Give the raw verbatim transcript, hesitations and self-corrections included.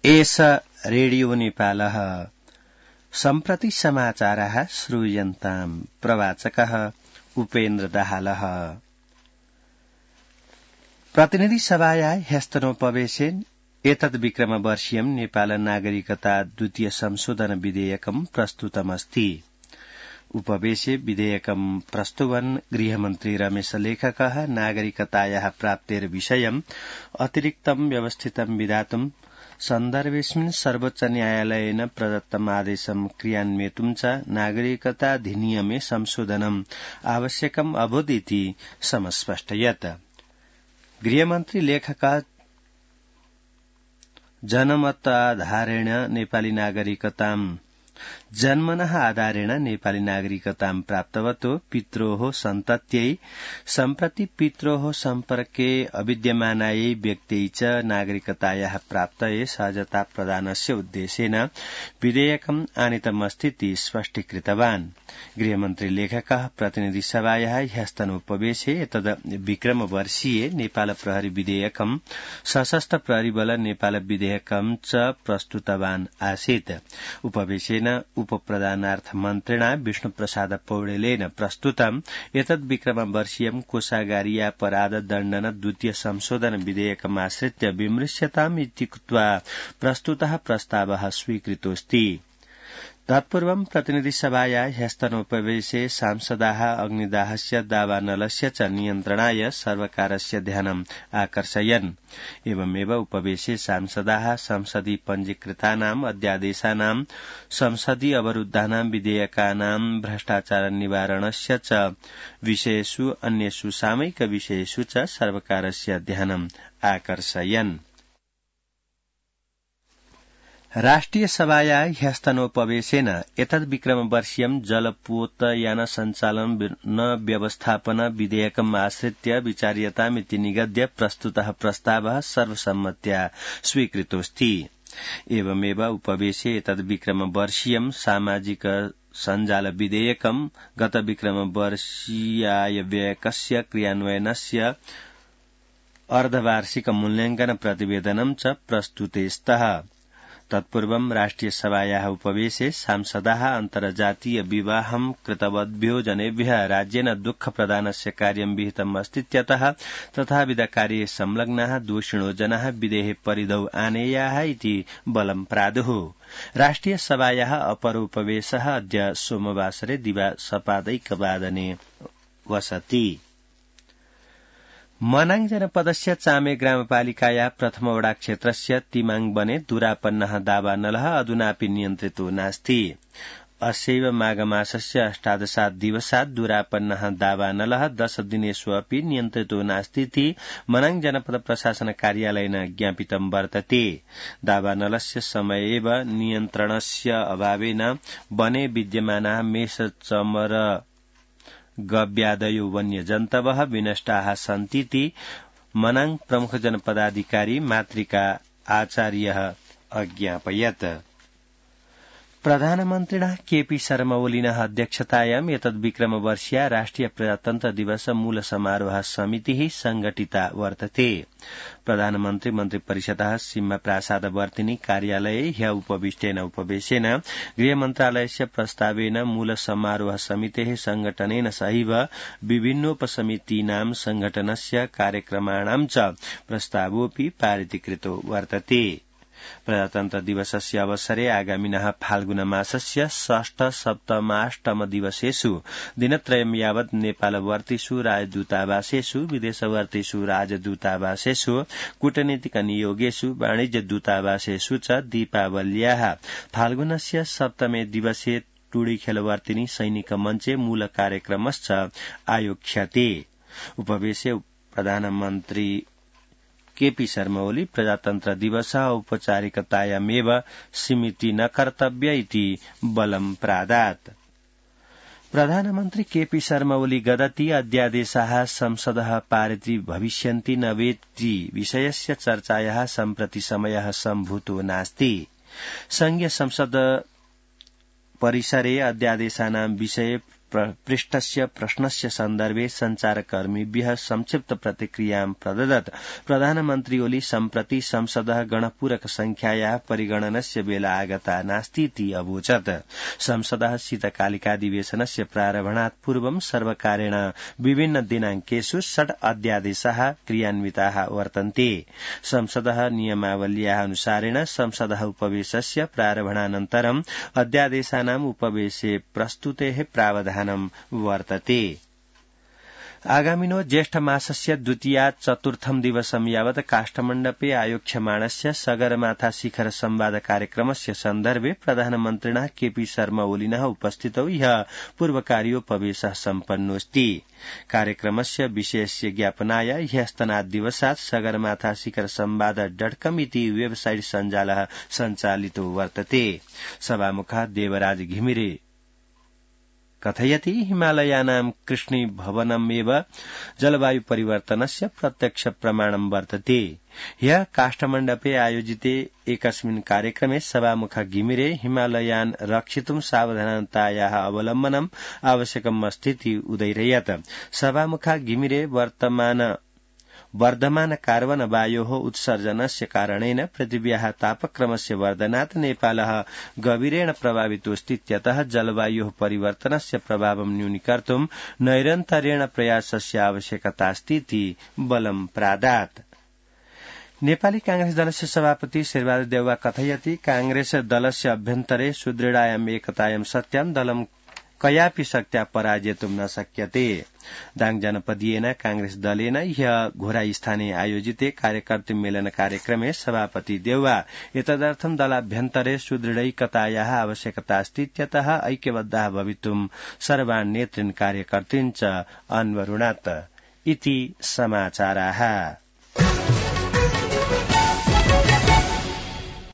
एष रेडियो नेपालः सम्प्रति समाचारः श्रूयन्ताम् प्रवाचकः उपेन्द्र दाहालः। प्रतिनिधि सभाया ह्यस्तनोपवेशेन एतद् विक्रमवर्षीयं नेपाल नागरिकता द्वितीय संशोधन विधेयकं प्रस्तुतमस्ति। उपवेशे विधेयकं प्रस्तुवन् गृहमन्त्री रमेश लेखकः नागरिकतायाः प्राप्तेर विषयम् अतिरिक्तं व्यवस्थितं विधातुं सन्दर्भेऽस्मिन् सर्वोच्च न्यायालयेन प्रदत्तम् आदेशं क्रियान्वेतुं च नागरिकताधिनियमे संशोधनम् आवश्यकम् अभूत् इति समस्पष्टयत्। गृहमन्त्री लेखकः जनमताधारेण नेपाली नागरिकताम् जन्मनः आधारेण नेपाली नागरिकतां प्राप्तवतो पित्रोः सन्तत्यै सम्प्रति पित्रोः सम्पर्के अविद्यमानायै व्यक्त्यै च नागरिकतायाः प्राप्तये सहजता प्रदानस्य उद्देशेन विधेयकम् आनीतमस्तीति स्पष्टीकृतवान्। गृहमन्त्री लेखकः प्रतिनिधि सभायाः ह्यस्तनोपवेशे एतद् विक्रमवर्षीये नेपाल प्रहरी विधेयकम् सशस्त्र प्रहरी बल नेपाल विधेयकम् च प्रस्तुतवान् आसीत्। उपवेशेन उपप्रधानार्थ मन्त्रिणा विष्णुप्रसाद पौडेलेन प्रस्तुतम् एतद् विक्रमवर्षीयं कोषागारीयापराध दण्डन द्वितीय संशोधन विधेयकमाश्रित्य विमृश्यताम् इत्युक्त्वा प्रस्तुतः प्रस्तावः स्वीकृतोऽस्ति। तत्पूर्वं प्रतिनिधि सभाया ह्यस्तनोपवेशे सांसदाः अग्निदाहस्य दावानलस्य च नियन्त्रणाय सर्वकारस्य ध्यानम् आकर्षयन्। एवमेव उपवेशे सांसदाः संसदि पञ्जीकृतानाम् अध्यादेशानां संसदि अवरुद्धानां विधेयकानां भ्रष्टाचार निवारणस्य च विषयेषु अन्येषु सामयिक विषयेषु च सर्वकारस्य ध्यानम् आकर्षयन्। राष्ट्रिय सभाया ह्यस्तनोपवेशेन एतद् विक्रमवर्षीयं जलपोतयान सञ्चालन व्यवस्थापन विधेयकम् आश्रित्य विचार्यतामिति निगद्य प्रस्तुतः प्रस्तावः सर्वसम्मत्या स्वीकृतोऽस्ति। एवमेव उपवेशे एतद् विक्रमवर्षीयं सामाजिक सञ्जाल विधेयकम् गत विक्रमवर्षीयाय व्ययकस्य क्रियान्वयनस्य अर्धवार्षिक मूल्याङ्कन प्रतिवेदनं च प्रस्तुते स्तः। तत्पूर्वं राष्ट्रिय सभायाः उपवेशे सांसदाः अन्तर्जातीय विवाहं कृतवद्भ्यो जनेभ्यः राज्येन दुःख प्रदानस्य कार्यं विहितम् अस्तीत्यतः तथाविध कार्ये संलग्नाः दोषिणो जनाः विधेः परिधौ आनेयाः इति बलं प्रादुः। राष्ट्रिय सभायाः अपरोपवेशः अद्य सोमवासरे दिवा सपादैकवादने वसति। मनाङ जनपदस्य चामे ग्रामपालिकाया प्रथम वडा क्षेत्रस्य तिमाङ बने दुरापन्नः दावानलः अधुनापि नियन्त्रितो नास्ति। अस्यैव माघमासस्य अष्टादशात् दिवसात् दुरापन्नः दावानलः दश दिनेषु अपि नियन्त्रितो नास्तीति मनाङ जनपद प्रशासन कार्यालयेन ज्ञापितं वर्तते। दावानलस्य समयेव नियन्त्रणस्य अभावेन वने विद्यमानाः मेष चमर गव्यादयो वन्यजन्तवः विनष्टाः सन्तीति मनाङ प्रमुख जनपदाधिकारी मातृका आचार्यः अज्ञापयत्। प्रधानमन्त्रिणः केपी शर्मा ओलीनः अध्यक्षतायाम् एतद् विक्रमवर्षीया राष्ट्रिय प्रजातन्त्र दिवस मूल समारोह समितिः संघटिता वर्तते। प्रधानमन्त्री मन्त्रिपरिषदः सिंह प्रासाद वर्तिनी कार्यालये ह्य उपविष्टेन उपवेशेन गृहमन्त्रालयस्य प्रस्तावेन मूल समारोह समितेः संघटनेन सहैव विभिन्नोपसमितीनां संघटनस्य कार्यक्रमाणां च प्रस्तावोऽपि पारितीकृतो वर्तते। प्रजातन्त्र दिवसस्य अवसरे आगामिनः फाल्गुन मासस्य षष्ठ सप्तमाष्टम दिवसेषु दिनत्रयं यावत् नेपालवर्तीषु राजदूतावासेषु विदेशवर्तीषु राजदूतावासेषु कूटनीतिक नियोगेषु वाणिज्य दूतावासेषु च दीपावल्याः फाल्गुनस्य सप्तमे दिवसे टुडीखेलवर्तिनी सैनिक मञ्चे मूल कार्यक्रमश्च आयोक्ष्यते। उपवेशे प्रधानमन्त्री केपी शर्मा ओली प्रजातन्त्र दिवस औपचारिकतायामेव सीमिति न कर्तव्य इति बलं प्रादात्। प्रधानमन्त्री केपी शर्मा ओली गदति अध्यादेशाः संसदः पारिति भविष्यन्ति न वेति विषयस्य चर्चायाः सम्प्रति समयः सम्भूतो नास्ति। संघीय संसद परिसरे अध्यादेशानां विषये पृष्ठस्य प्रश्नस्य सन्दर्भे संचारकर्मीभ्यः संक्षिप्त प्रतिक्रियां प्रददत्। प्रधानमन्त्री ओली सम्प्रति संसदः गणपूरक संख्यायाः परिगणनस्य बेला आगता नास्तीति अवोचत्। संसदः शीतकालिकाधिवेशनस्य प्रारम्भात् पूर्वं सर्वकारेण विभिन्न दिनांकेषु षड् अध्यादेशाः क्रियान्विताः वर्तन्ते। संसदः नियमावल्याः अनुसारेण संसदः उपवेशस्य प्रारम्भानन्तरं अध्यादेशानाम् उपवेशे प्रस्तुतेः प्रावधानं वर्तते। आगामिनो ज्येष्ठमासस्य द्वितीयात् चतुर्थं दिवसं यावत् काष्ठमण्डपे आयोक्ष्यमाणस्य सगरमाथा शिखर संवाद कार्यक्रमस्य सन्दर्भे प्रधानमन्त्रिणः केपी शर्मा ओलिनः उपस्थितौ ह्यः पूर्वकार्योपवेशः सम्पन्नोऽस्ति। कार्यक्रमस्य विशेष ज्ञापनाय ह्यस्तनाद्दिवसात् सगरमाथा शिखर संवाद डट कम इति वेबसाइट सञ्जालः सञ्चालितो वर्तते। सभामुखः देवराज घिमिरे कथयति हिमालयानां कृष्णीभवनमेव जलवायु परिवर्तनस्य प्रत्यक्ष प्रमाणं वर्तते। ह्यः काष्ठमण्डपे आयोजिते एकस्मिन् कार्यक्रमे सभामुख घिमिरे हिमालयान् रक्षितुं सावधानतायाः अवलम्बनम् आवश्यकम् अस्तीति उदयरयत्। सभामुख घिमिरे वर्तमान वर्धमान कार्बन वायोः उत्सर्जनस्य कारणेन पृथिव्याः तापक्रमस्य वर्धनात् नेपालः गभीरेण प्रभावितोऽस्तीत्यतः जलवायोः परिवर्तनस्य प्रभावं न्यूनीकर्तुं नैरन्तर्येण प्रयासस्य आवश्यकतास्तीति बलं प्रादात्। नेपाली कांग्रेस दलस्य सभापति शेरबहादुर देउवा कथयति कांग्रेस दलस्य अभ्यन्तरे सुदृढायाम् एकतायां सत्यां दलं कयापि शक्त्या पराजेतुं न शक्यते। दाङ जनपदीयेन कांग्रेस दलेन ह्यः घोराई आयोजिते कार्यकर्तृ मेलन कार्यक्रमे सभापति देउवा एतदर्थं दलाभ्यन्तरे सुदृढैकतायाः आवश्यकता अस्तीत्यतः ऐक्यबद्धाः भवितुं सर्वान् नेतृन् कार्यकर्तृन् च अन्वरुणत् इति समाचाराः।